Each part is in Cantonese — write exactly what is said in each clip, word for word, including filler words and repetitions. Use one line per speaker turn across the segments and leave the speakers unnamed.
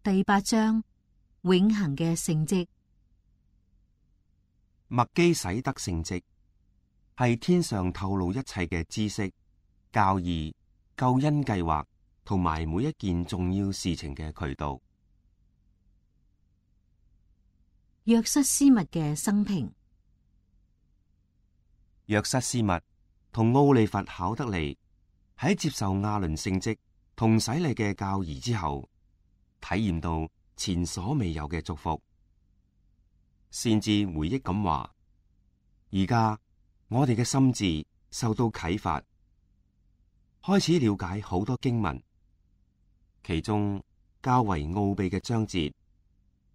第八章，永恆嘅聖蹟。
麥基洗德聖蹟係天上透露一切嘅知識、教義、救恩計劃同埋每一件重要事情嘅渠道。
約瑟斯密嘅生平。
約瑟斯密同奧利弗考德利喺接受亞倫聖職同洗禮嘅教義之後，體驗到前所未有嘅祝福，先至回憶咁話：而家我哋嘅心智受到啟發，開始了解好多經文，其中較為奧秘嘅章節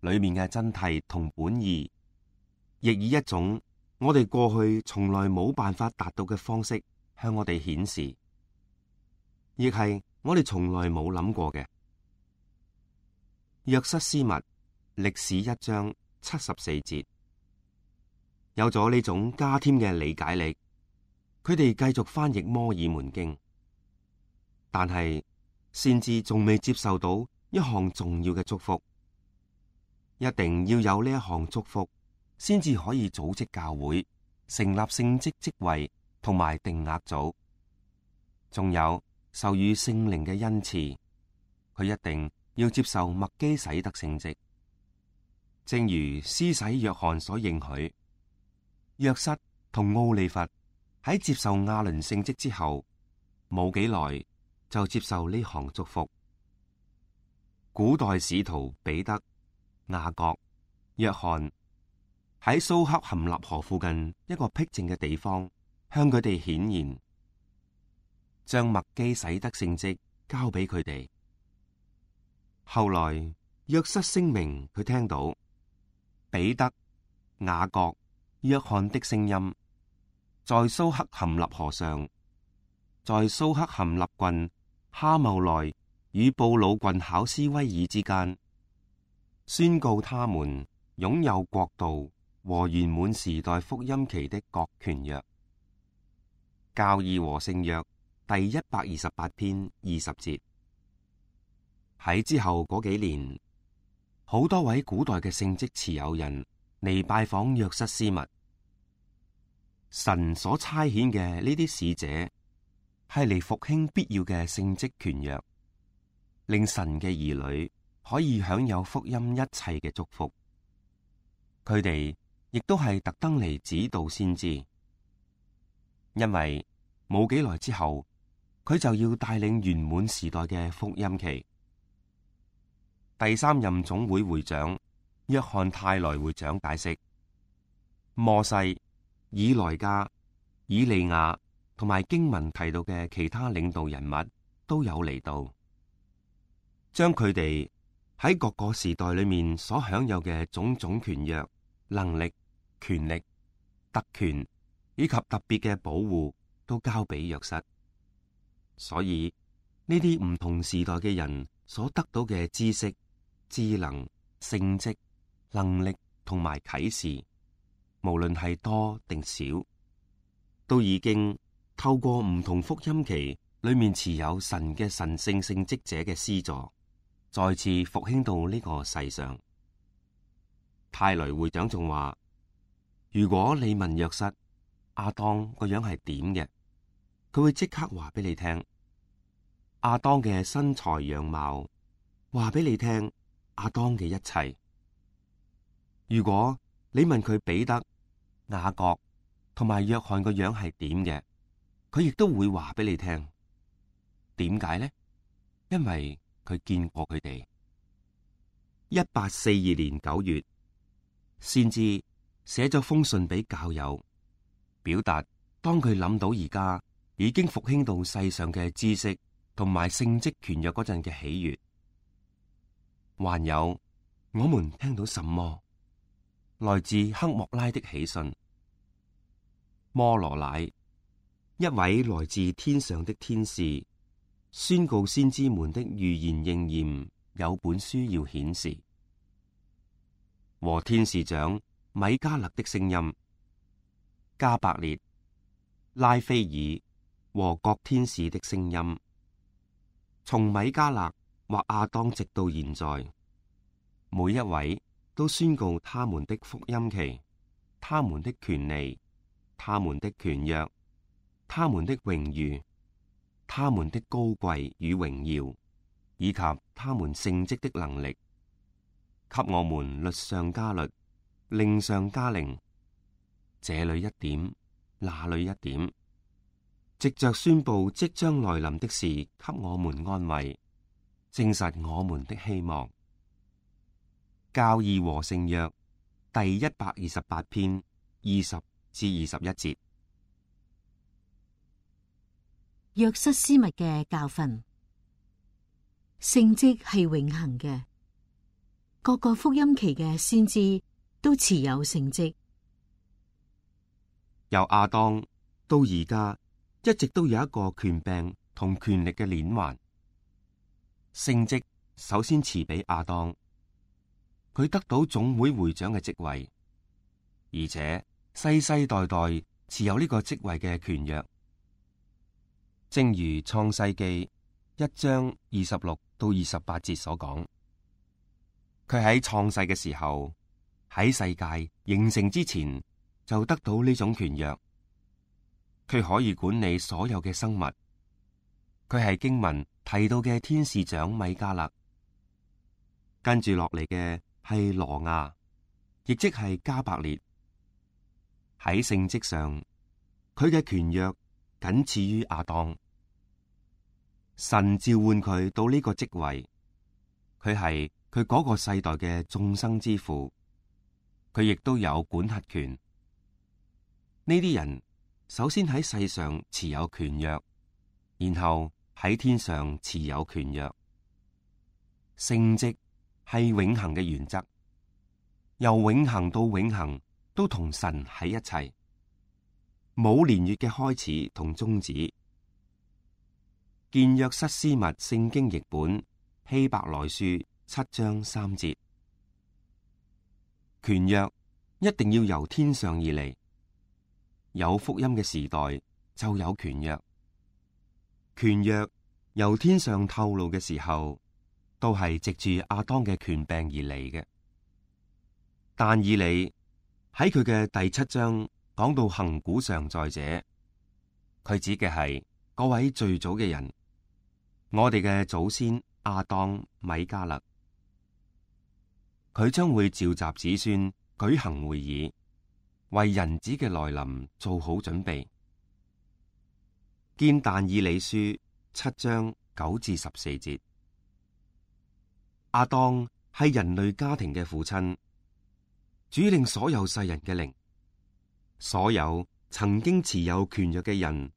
裏面嘅真諦同本意，亦以一種我哋過去從來冇辦法達到嘅方式向我哋顯示，亦係我哋從來冇諗過嘅。約瑟斯密歷史一章七十四節，有咗呢種加添嘅理解力，佢哋繼續翻譯摩爾門經，但係先至仲未接受到一項重要嘅祝福，一定要有呢一項祝福，先至可以組織教會、成立聖職職位同埋定額組，仲有授予聖靈嘅恩賜，佢一定要接受麥基洗德聖職。正如施洗約翰所應許，約瑟同奧利弗喺接受亞倫聖職之後冇幾耐就接受呢項祝福。古代使徒彼得、雅各、約翰喺蘇克含納河附近一個僻靜嘅地方向佢哋顯現，將麥基洗德聖職交俾佢哋。後來約瑟聲明佢聽到彼得、雅各、約翰的聲音，在蘇克含納河上，在蘇克含納郡哈茂內與布魯郡考斯威爾之間，宣告他們擁有國度和圓滿時代福音期的各權約。教義和聖約第一百二十八篇二十節。喺之後嗰幾年，好多位古代嘅聖職持有人嚟拜訪約瑟斯密。神所差遣嘅呢啲使者係嚟復興必要嘅聖職權約，令神嘅兒女可以享有福音一切嘅祝福。佢哋亦都係特登嚟指導先知，因為冇幾耐之後，佢就要帶領圓滿時代嘅福音期。第三任總會會長約翰泰萊會長解釋，摩西、以萊加、以利亞同埋經文提到嘅其他領導人物都有嚟到，將佢哋喺各個時代裏面所享有嘅種種權約、能力、權力、特權以及特別嘅保護都交俾約瑟。所以呢啲唔同時代嘅人所得到嘅知識、智能、聖職、能力同埋啟示，無論係多定少，都已經透過唔同福音期裏面持有神嘅神聖聖職者嘅施助，再次復興到呢個世上。泰雷會長仲話：如果你問約瑟亞當個樣係點嘅，佢會即刻話俾你聽。亞當嘅身材樣貌話俾你聽亞當嘅一切。如果你問佢彼得、雅各同埋約翰個樣係點嘅，佢亦都會話俾你聽。點解呢？因為佢見過佢哋。一八四二年九月，先知寫咗封信俾教友，表達當佢諗到而家已經復興到世上嘅知識同埋聖職權約嗰陣嘅喜悅。還有，我們聽到什麼？來自克莫拉的喜訊。摩羅乃，一位來自天上的天使，宣告先知們的預言應驗，有本書要顯示。和天使長米迦勒的聲音，加百列、拉斐爾和各天使的聲音，從米迦勒或亞當直到現在，每一位都宣告他們的福音期、他們的權利、他們的權約、他們的榮譽、他們的高貴與榮耀，以及他們聖職的能力，給我們律上加律，令上加令，這裏一點，那裏一點，藉着宣布即將來臨的事，給我們安慰，證實我們的希望。教義和聖約第一百二十八篇二十至二十一節。
約瑟斯密嘅教訓，聖職係永恆嘅，各個福音期嘅先知都持有聖職。
由亞當到而家，一直都有一個權柄同權力嘅鏈環。聖職首先賜俾亞當，佢得到總會會長嘅職位，而且世世代代持有呢個職位嘅權約。正如創世記一章二十六到二十八節所講，佢喺創世嘅時候，喺世界形成之前就得到呢種權約。佢可以管理所有嘅生物。佢係經文提到嘅天使長米迦勒。跟住落嚟嘅係羅亞，亦即係加百列。喺聖職上，佢嘅權約僅次於亞當。神召喚佢到呢個職位，佢係佢嗰個世代嘅眾生之父，佢亦都有管轄權。呢啲人首先喺世上持有權約，然後喺天上持有權約。聖職係永恆嘅原則，由永恆到永恆都同神喺一齊，冇年月嘅開始同終止。建約瑟斯密聖經譯本希伯來書七章三節，權約一定要由天上而嚟。有福音嘅時代就有權約，權約由天上透露嘅時候，都係藉住亞當嘅權柄而嚟嘅。但以理喺佢嘅第七章講到亙古常在者，佢指嘅係嗰位最早嘅人，我哋嘅祖先亞當米迦勒。佢將會召集子孫舉行會議，為人子嘅來臨做好準備。見但以理書七章九至十四節。亞當係人類家庭嘅父親，主領所有世人嘅靈。所有曾經持有權約嘅人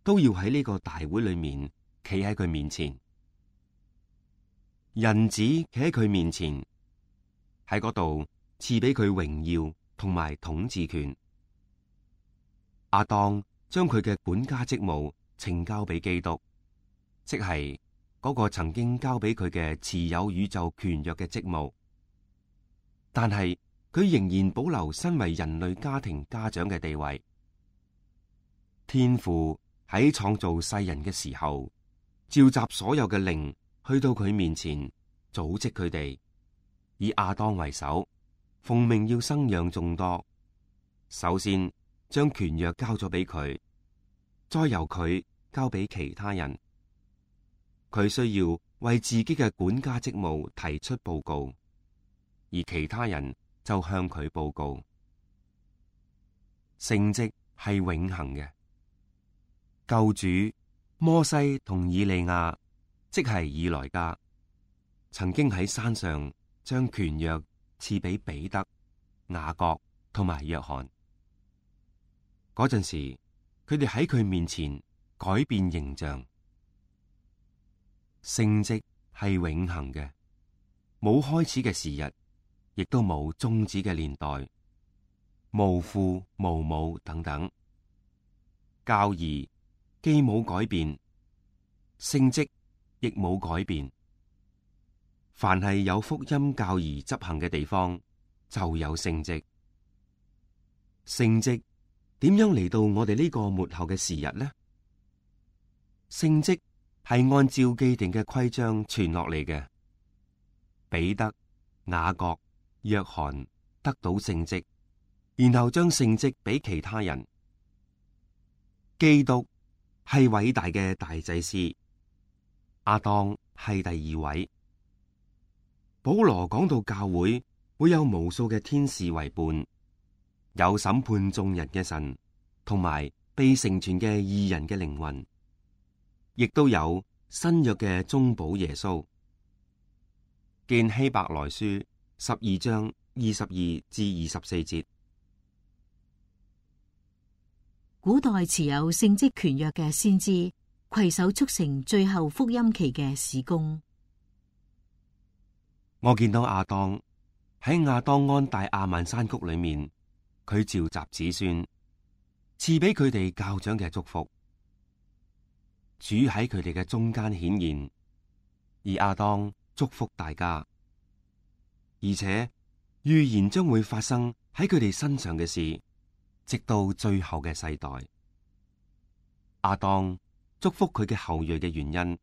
都要喺呢個大會裏面企喺佢面前。人子企喺佢面前，喺嗰度賜俾佢榮耀同埋統治權。亞當將佢嘅管家職務呈交俾基督，即係嗰個曾經交俾佢嘅持有宇宙權約嘅職務。但係佢仍然保留身為人類家庭家長嘅地位。天父喺創造世人嘅時候，召集所有嘅靈去到佢面前，組織佢哋，以亞當為首，奉命要生養眾多。首先將權約交咗俾佢，再由佢交俾其他人。佢需要為自己嘅管家職務提出報告，而其他人就向佢報告。聖職係永恆嘅。救主摩西同以利亞，即係以來加，曾經喺山上將權約賜俾彼得、雅各同埋約翰。嗰陣時，佢哋喺佢面前改變形象。聖職係永恆嘅，冇開始嘅時日，亦都冇終止嘅年代，無父無母等等。教義既冇改變，聖職亦冇改變。凡係有福音教義執行嘅地方，就有聖職。聖職點樣嚟到我哋呢個末後嘅時日呢？聖職係按照既定嘅規章傳落嚟嘅。彼得、雅各、約翰得到聖職，然後將聖職俾其他人。基督係偉大嘅大祭司，亞當係第二位。保羅講到教會會有無數嘅天使為伴，有審判眾人嘅神，同埋被成全嘅義人嘅靈魂，亦都有新約嘅中保耶穌。見希伯來書十二章二十二至二十四節。
古代持有聖職權約嘅先知，攜手促成最後福音期嘅事工。
我見到亞當喺亞當安大亞曼山谷裏面，佢召集子孫，賜俾佢哋教長嘅祝福。主喺佢哋嘅中間顯現，而亞當祝福大家，而且預言將會發生喺佢哋身上嘅事，直到最後嘅世代。亞當祝福佢嘅後裔嘅原因，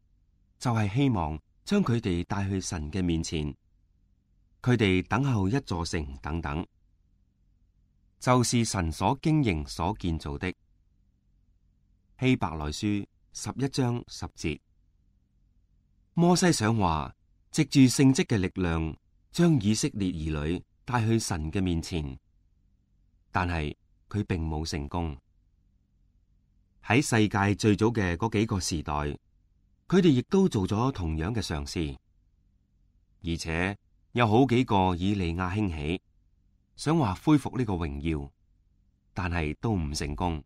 就係希望將佢哋帶去神嘅面前，佢哋等候一座城等等，就是神所經營所建造的。希伯來書十一章十節。摩西想話，藉住聖職嘅力量，將以色列兒女帶去神嘅面前，但係佢並冇成功。喺世界最早嘅嗰幾個時代，佢哋亦都做咗同樣嘅嘗試，而且有好幾個以利亞興起，想話恢復呢個榮耀，但係都唔成功。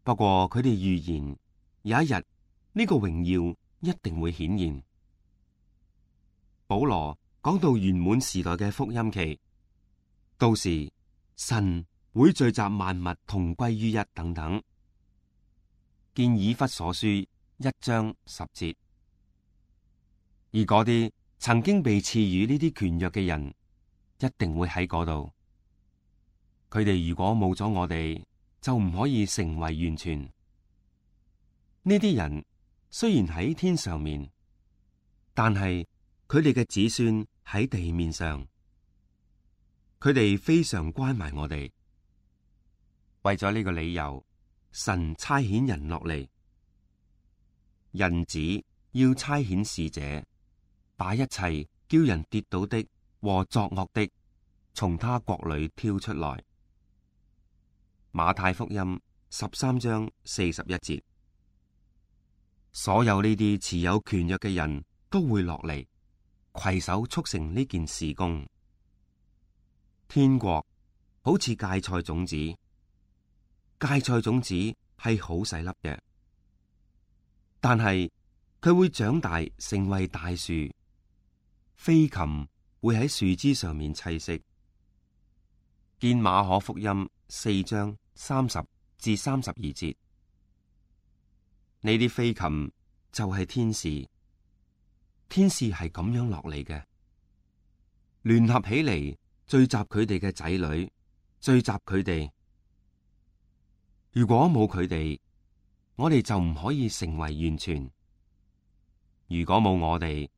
不過佢哋預言有一日呢個榮耀一定會顯現。保羅講到圓滿時代嘅福音期，到時神會聚集萬物同歸於一等等。見以弗所書一章十節。而嗰啲曾經被賜予呢啲權約嘅人，一定會喺嗰度。佢哋如果冇咗我哋，就唔可以成為完全。呢啲人雖然喺天上面，但係佢哋嘅子孫喺地面上，佢哋非常關懷我哋。為咗呢個理由，神差遣人落嚟，人子要差遣使者，把一切叫人跌倒的和作惡的，從他國裏挑出來。馬太福音十三章四十一節。所有呢啲持有權約嘅人都會落嚟，攜手促成呢件事工。天國好似芥菜種子，芥菜種子係好細粒嘅，但係佢會長大成為大樹，飛禽會喺樹枝上面棲息。見馬可福音四章三十至三十二節。呢啲飛禽就係天使，天使係咁樣落嚟嘅，聯合起嚟聚集佢哋嘅仔女，聚集佢哋。如果冇佢哋，我哋就唔可以成為完全；如果冇我哋，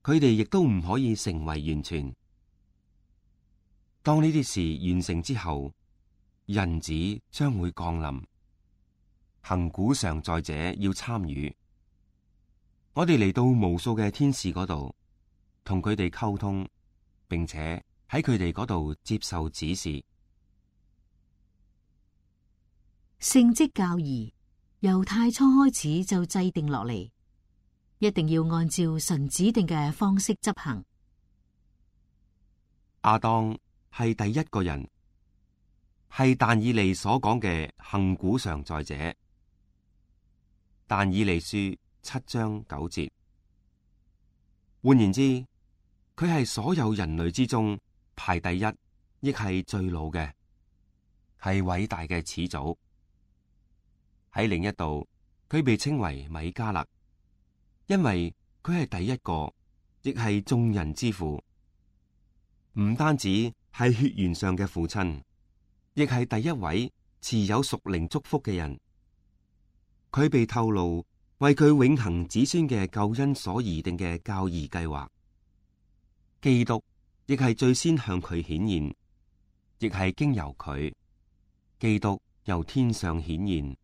佢哋亦都唔可以成為完全。當呢啲事完成之後，人子將會降臨。行古常在者要參與，我哋嚟到無數嘅天使嗰度，同佢哋溝通，並且喺佢哋嗰度接受指示。
聖職教義由太初開始就制定落嚟，一定要按照神指定嘅方式執行。
亞當係第一個人，係但以理所講嘅行古常在者。但以理書七章九節。換言之，佢係所有人類之中排第一，亦係最老嘅，係偉大嘅始祖。喺另一度，佢被稱為米迦勒，因為佢係第一個，亦係眾人之父。唔單止係血緣上嘅父親，亦係第一位持有屬靈祝福嘅人。佢被透露為佢永恆子孫嘅救恩所擬定嘅教義計劃。基督亦係最先向佢顯現，亦係經由佢，基督由天上顯現，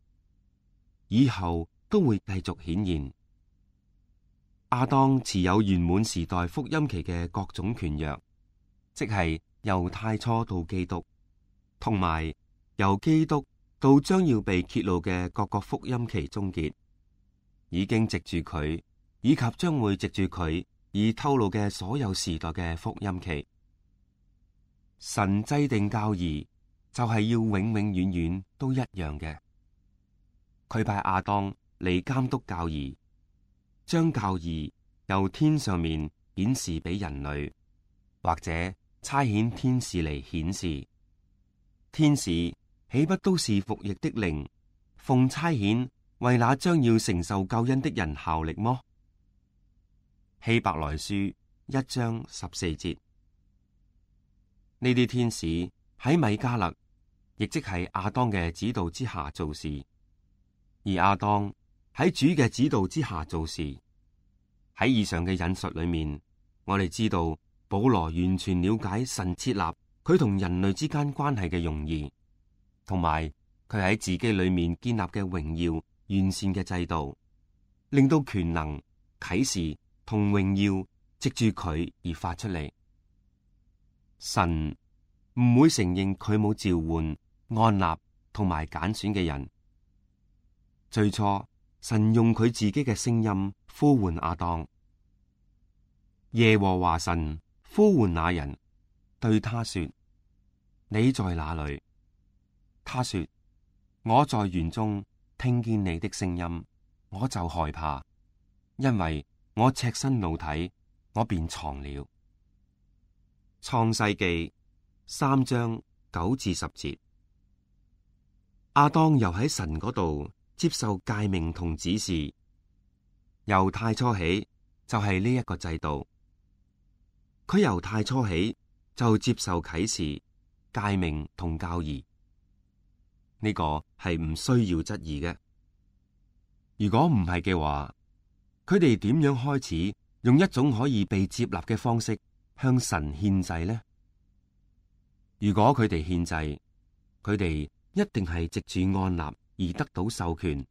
以後都會繼續顯現。亞當持有圓滿時代福音期嘅各種權約，即係由太初到基督，同埋由基督到將要被揭露嘅各個福音期終結，已經藉住佢，以及將會藉住佢而透露嘅所有時代嘅福音期。神制定教義就係要永永遠遠都一樣嘅。佢派亞當嚟監督教義，將教義由天上面顯示俾人類，或者差遣天使嚟顯示。天使豈不都是服役的靈，奉差遣為那將要承受救恩的人效力麼？希伯來書一章十四節。呢啲天使喺米迦勒，亦即係亞當嘅指導之下做事，而亞當喺主嘅指導之下做事。喺以上嘅引述裏面，我哋知道保羅完全了解神設立佢同人類之間關係嘅用意，同埋佢喺自己裏面建立嘅榮耀完善嘅制度，令到權能、啟示同榮耀藉住佢而發出嚟。神唔會承認佢冇召喚、按立同埋揀選嘅人。最初，神用佢自己嘅聲音呼喚亞當。耶和華神呼喚那人，對他說：你在哪裏？他說：我在園中聽見你的聲音，我就害怕，因為我赤身露體，我便藏了。創世記三章九至十節。亞當又喺神嗰度接受誡命同指示，由太初起就係呢一個制度。佢由太初起就接受啟示、誡命同教義，呢個係唔需要質疑嘅。如果唔係嘅話，佢哋點樣開始用一種可以被接納嘅方式向神獻祭呢？如果佢哋獻祭，佢哋一定係藉住按立而得到授權。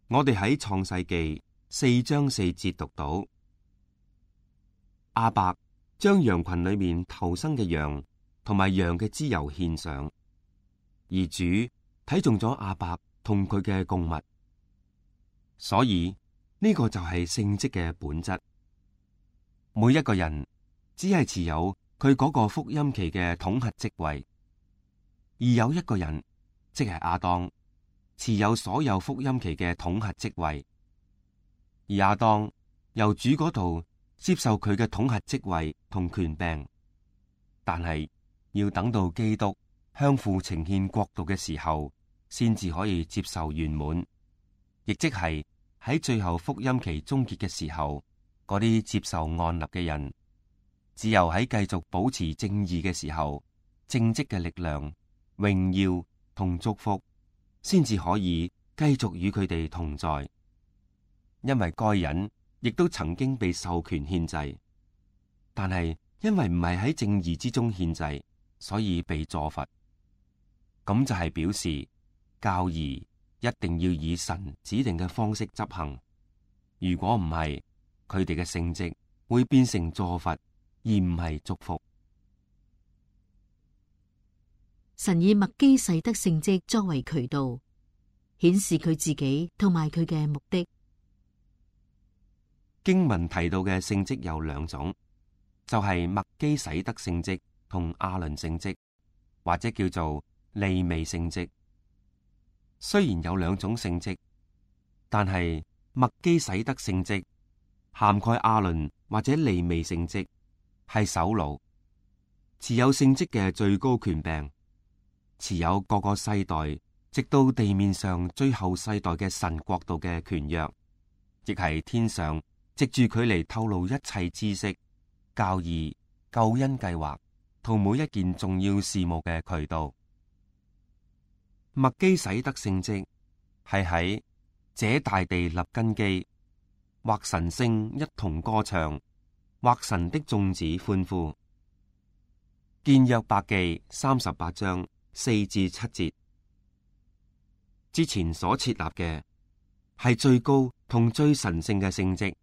我哋喺創世記四章四節讀到，亞伯將羊群裏面頭生嘅羊同埋羊嘅脂油獻上，而主睇中咗亞伯同佢嘅供物，所以呢個就係聖職嘅本質。每一個人只係持有佢嗰個福音期嘅統合職位，而有一個人，即係亞當，持有所有福音期嘅統合職位，而亞當由主嗰度接受佢嘅統合職位同權柄，但係要等到基督向父呈獻國度嘅時候，先至可以接受圓滿，亦即係喺最後福音期終結嘅時候，嗰啲接受按立嘅人，只有喺繼續保持正義嘅時候，正職嘅力量、榮耀同祝福，先至可以繼續與佢哋同在。因為該人亦都曾經被授權獻祭，但係因為唔係喺正義之中獻祭，所以被坐罰。咁就係表示教義一定要以神指定嘅方式執行。如果唔係，佢哋嘅聖職會變成坐罰，而唔係祝福。
神以麥基洗德聖職作為渠道，顯示佢自己同埋佢嘅目的。
經文提到嘅聖職有兩種，就係麥基洗德聖職同亞倫聖職，或者叫做利未聖職。雖然有兩種聖職，但係麥基洗德聖職涵蓋亞倫或者利未聖職，係首腦，持有聖職嘅最高權柄，持有各個世代直到地面上最後世代嘅神國度嘅權約，亦係天上藉住佢嚟透露一切知識、教義、救恩計劃同每一件重要事務嘅渠道。麥基洗德聖職係喺這大地立根基，或神聖一同歌唱，或神的眾子歡呼。見約伯記三十八章四至七節。之前所設立嘅係最高同最神聖嘅聖職，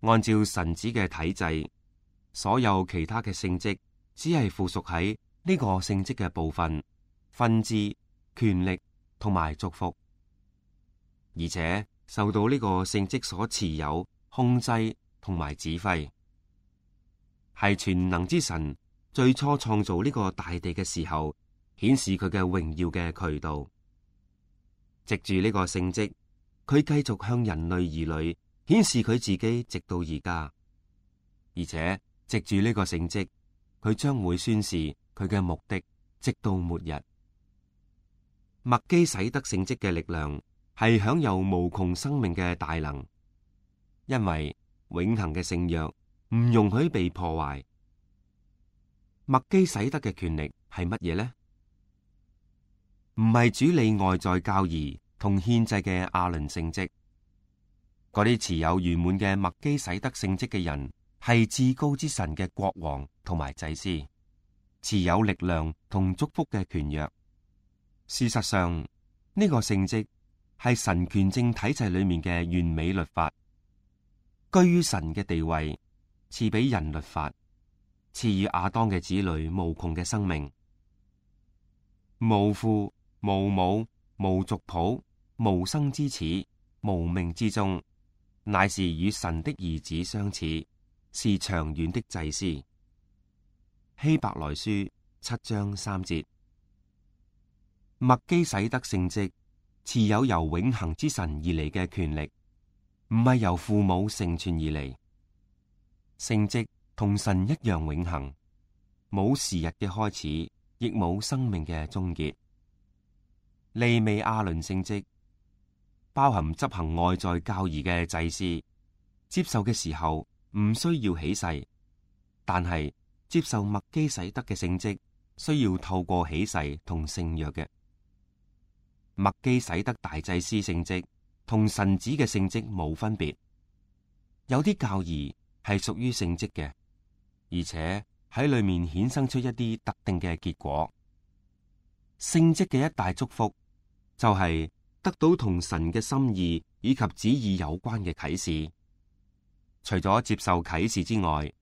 按照神子嘅體制，所有其他嘅聖職只係附屬喺呢個聖職嘅部分、分支、權力同埋祝福，而且受到呢個聖職所持有、控制同埋指揮。係全能之神最初創造呢個大地嘅時候，顯示佢嘅榮耀嘅渠道。藉住呢個聖職，佢繼續向人類兒女顯示佢自己，直到而家。而且藉住呢個聖職，佢將會宣示佢嘅目的，直到末日。麥基洗德聖職嘅力量係享有無窮生命嘅大能，因為永恆嘅聖約唔容許被破壞。麥基洗德嘅權力係乜嘢呢？唔係主理外在教義同獻祭嘅亞倫聖職。嗰啲持有圓滿嘅麥基洗德聖職嘅人，係至高之神嘅國王同埋祭司，持有力量同祝福嘅權約。事實上，呢個聖職係神權政體制裏面嘅完美律法，居於神嘅地位，賜俾人律法，賜予亞當嘅子女無窮嘅生命。無父無母無族譜無生之始無命之終，乃是與神的兒子相似，是長遠的祭司。希伯來書七章三節。麥基洗德聖職持有由永恆之神而嚟嘅權力，唔係由父母成全而嚟。聖職同神一樣永恆，冇時日嘅開始，亦冇生命嘅終結。利未亞倫聖職包含執行外在教義嘅祭司，接受嘅時候唔需要起誓，但係接受麥基洗德嘅聖職需要透過起誓同聖約嘅。麥基洗德大祭司聖職同神子嘅聖職冇分別，有啲教義係屬於聖職嘅，而且喺裏面衍生出一啲特定嘅結果。聖職嘅一大祝福就係得到同神嘅心意以及旨意有關嘅啟示。除咗接受啟示之外，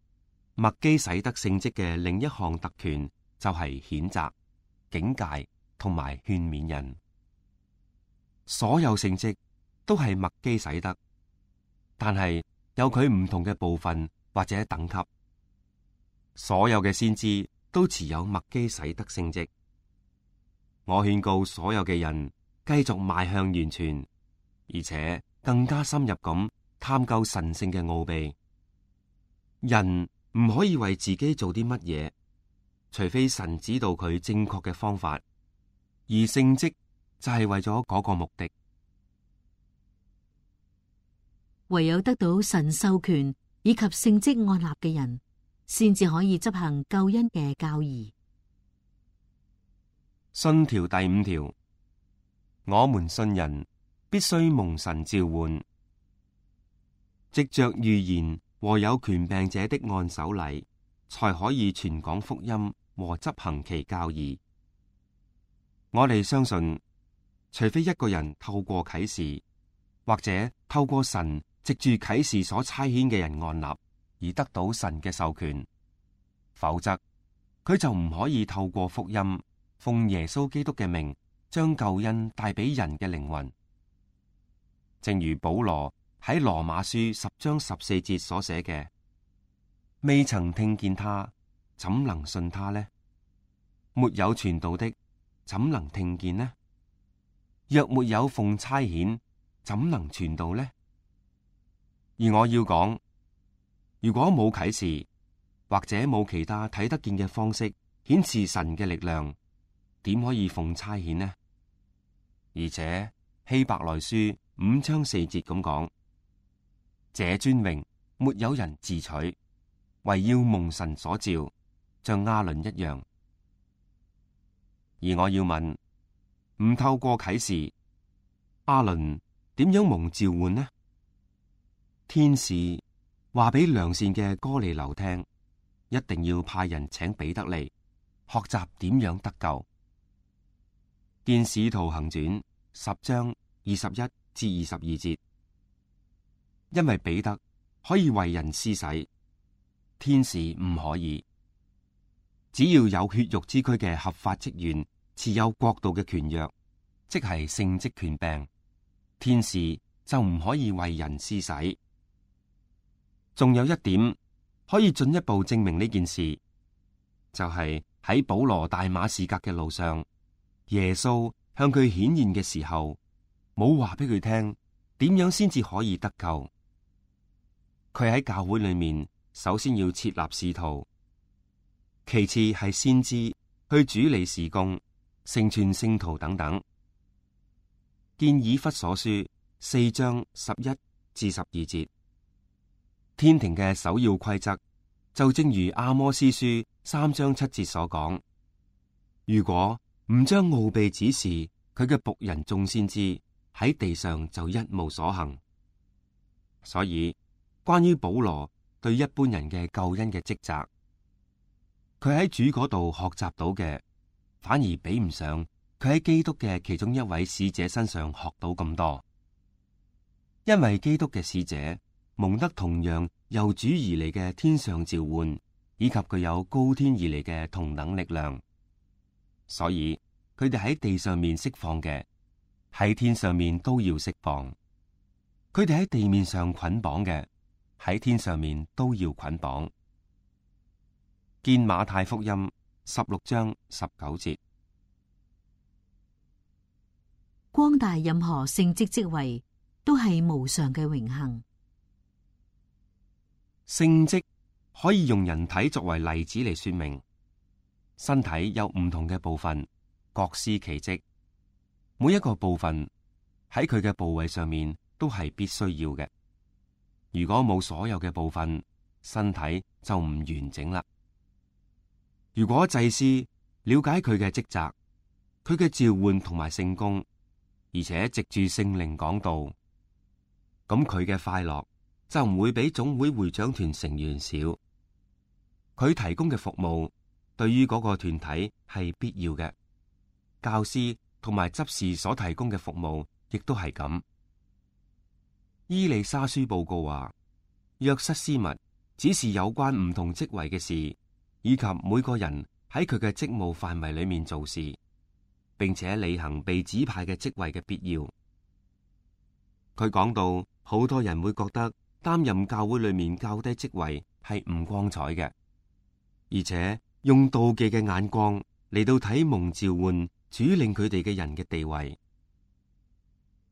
麥基洗德聖職嘅另一項特權就係譴責、警戒同埋勸勉人。所有聖職都係麥基洗德，但係有佢唔同嘅部分或者等級。所有嘅先知都持有麥基洗德聖職。我勸告所有嘅人繼續邁向完全，而且更加深入咁探究神聖嘅奧秘。人唔可以為自己做啲乜嘢，除非神指導佢正確嘅方法，而聖職就係為咗嗰個目的。
唯有得到神授權以及聖職按立嘅人，先至可以執行救恩嘅教義。
信條第五條，我們信人必須蒙神召喚，藉着預言和有權柄者的按手禮，才可以傳講福音和執行其教義。我哋相信，除非一個人透過啟示，或者透過神藉住啟示所差遣嘅人按立，而得到神嘅授權，否則佢就唔可以透過福音，奉耶穌基督嘅名，將救恩帶俾人嘅靈魂。正如保羅喺羅馬書十章十四節所寫嘅：未曾聽見他，怎能信他呢？沒有傳道的，怎能聽見呢？若沒有奉差遣，怎能傳道呢？而我要講，如果冇啟示，或者冇其他睇得見嘅方式顯示神嘅力量，點可以奉差遣呢？而且希伯來書五章四節咁講：這尊榮沒有人自取，唯要蒙神所召，像亞倫一樣。而我要問，唔透過啟示，亞倫點樣蒙召喚呢？天使話俾良善嘅哥尼流聽，一定要派人請彼得嚟學習點樣得救。見使徒行傳十章二十一至二十二節，因為彼得可以為人施洗，天使唔可以。只要有血肉之軀嘅合法職員持有國度嘅權約，即係聖職權柄，天使就唔可以為人施洗。仲有一點可以進一步證明呢件事，就係喺保羅大馬士革嘅路上，耶穌向佢顯現嘅時候，冇話俾佢聽點樣先至可以得救。佢喺教會裏面，首先要設立使徒，其次係先知去主理事工、成全聖徒等等。見以弗所書四章十一至十二節，天庭嘅首要規則就正如阿摩司書三章七節所講：如果唔將奧秘指示佢嘅僕人眾先知，喺地上就一無所行。所以關於保羅對一般人嘅救恩嘅職責，佢喺主嗰度學習到嘅，反而比唔上佢喺基督嘅其中一位使者身上學到咁多。因為基督嘅使者蒙得同樣由主而嚟嘅天上召喚，以及具有高天而嚟嘅同等力量，所以佢哋喺地上面釋放嘅，喺天上面都要釋放；佢哋喺地面上捆綁嘅，喺天上面都要捆綁。見馬太福音十六章十九節。
光大任何聖職職位都係無上嘅榮幸。
聖職可以用人體作為例子嚟說明，身體有唔同嘅部分，各司其職，每一個部分喺佢嘅部位上面都係必須要嘅。如果冇所有嘅部分，身體就唔完整啦。如果祭司了解佢嘅職責，佢嘅召喚同埋聖工，而且藉住聖靈講道，咁佢嘅快樂就唔會比總會會長團成員少。佢提供嘅服務對於嗰個團體係必要嘅，教師同埋執事所提供嘅服務亦都係咁。伊利沙書報告話，約瑟斯密指示有關唔同職位嘅事，以及每個人喺佢嘅職務範圍裏面做事，並且履行被指派嘅職位嘅必要。佢講到，好多人會覺得擔任教會裏面較低職位係唔光彩嘅，而且用妒忌嘅眼光嚟到睇蒙召喚主領佢哋嘅人嘅地位。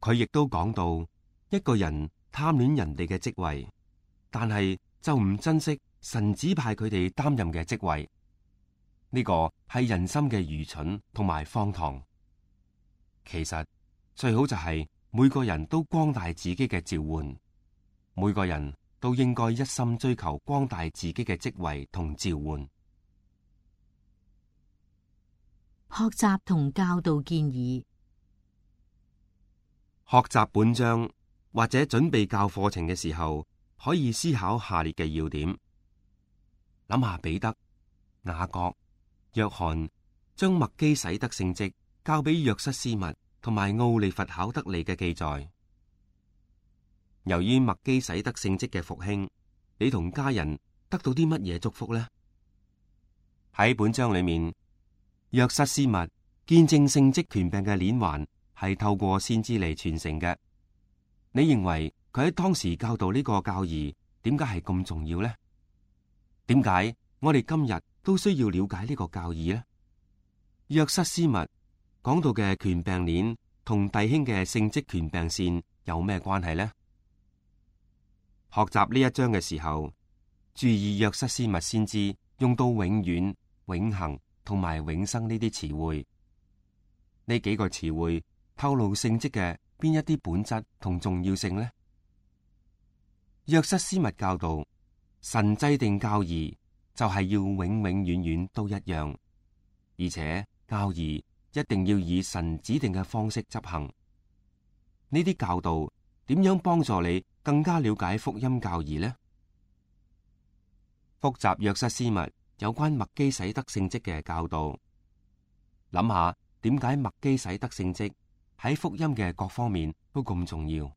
佢亦都講到，一個人貪戀人哋嘅職位，但係就唔珍惜神指派佢哋擔任嘅職位，呢個係人心嘅愚蠢同埋荒唐。其實最好就係每個人都光大自己嘅召喚，每個人都應該一心追求光大自己嘅職位同召喚。
學習同教導建議。
學習本章或者準備教課程嘅時候，可以思考下列嘅要點。諗下彼得、雅各、約翰將麥基洗德聖職交俾約瑟斯密同埋奧利弗考德利嘅記載。由於麥基洗德聖職嘅復興，你同家人得到啲乜嘢祝福呢？喺本章裏面，約瑟斯密見證聖職權柄嘅鏈環係透過先知嚟傳承嘅。你認為佢喺當時教導呢個教義點解係咁重要呢？點解我哋今日都需要了解呢個教義呢？約瑟斯密講到嘅權柄鏈同弟兄嘅聖職權柄線有咩關係呢？學習呢一章嘅時候，注意約瑟斯密先知用到永遠、永恆同埋永生呢啲詞彙。呢幾個詞彙透露聖職嘅邊一啲本質同重要性呢？約瑟斯密教導，神制定教義就係要永永遠遠都一樣，而且教義一定要以神指定嘅方式執行。呢啲教導點樣幫助你更加了解福音教義呢？複雜約瑟斯密有關麥基洗德聖職嘅教導。諗下點解麥基洗德聖職喺福音嘅各方面都咁重要？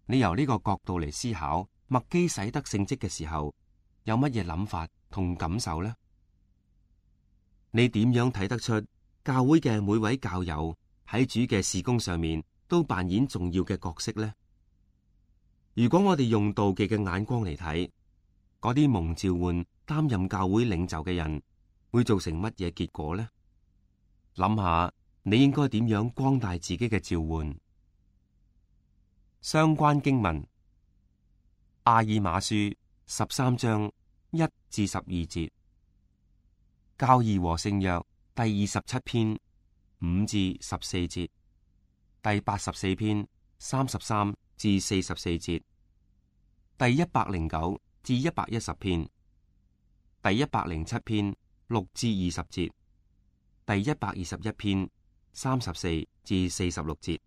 你由呢個角度嚟思考麥基洗德聖職嘅時候，有乜嘢諗法同感受呢？你點樣睇得出教會嘅每位教友喺主嘅事工上面都扮演重要嘅角色呢？如果我哋用妒忌嘅眼光嚟睇，嗰啲蒙召喚擔任教會領袖嘅人，會造成乜嘢結果呢？諗下你應該點樣光大自己嘅召喚。相關經文：阿爾馬書十三章一至十二節，教義和聖約第二十七篇五至十四節，第八十四篇三十三至四十四節，第一百零九至一百一十篇，第一百零七篇六至二十節，第一百二十一篇三十四至四十六節。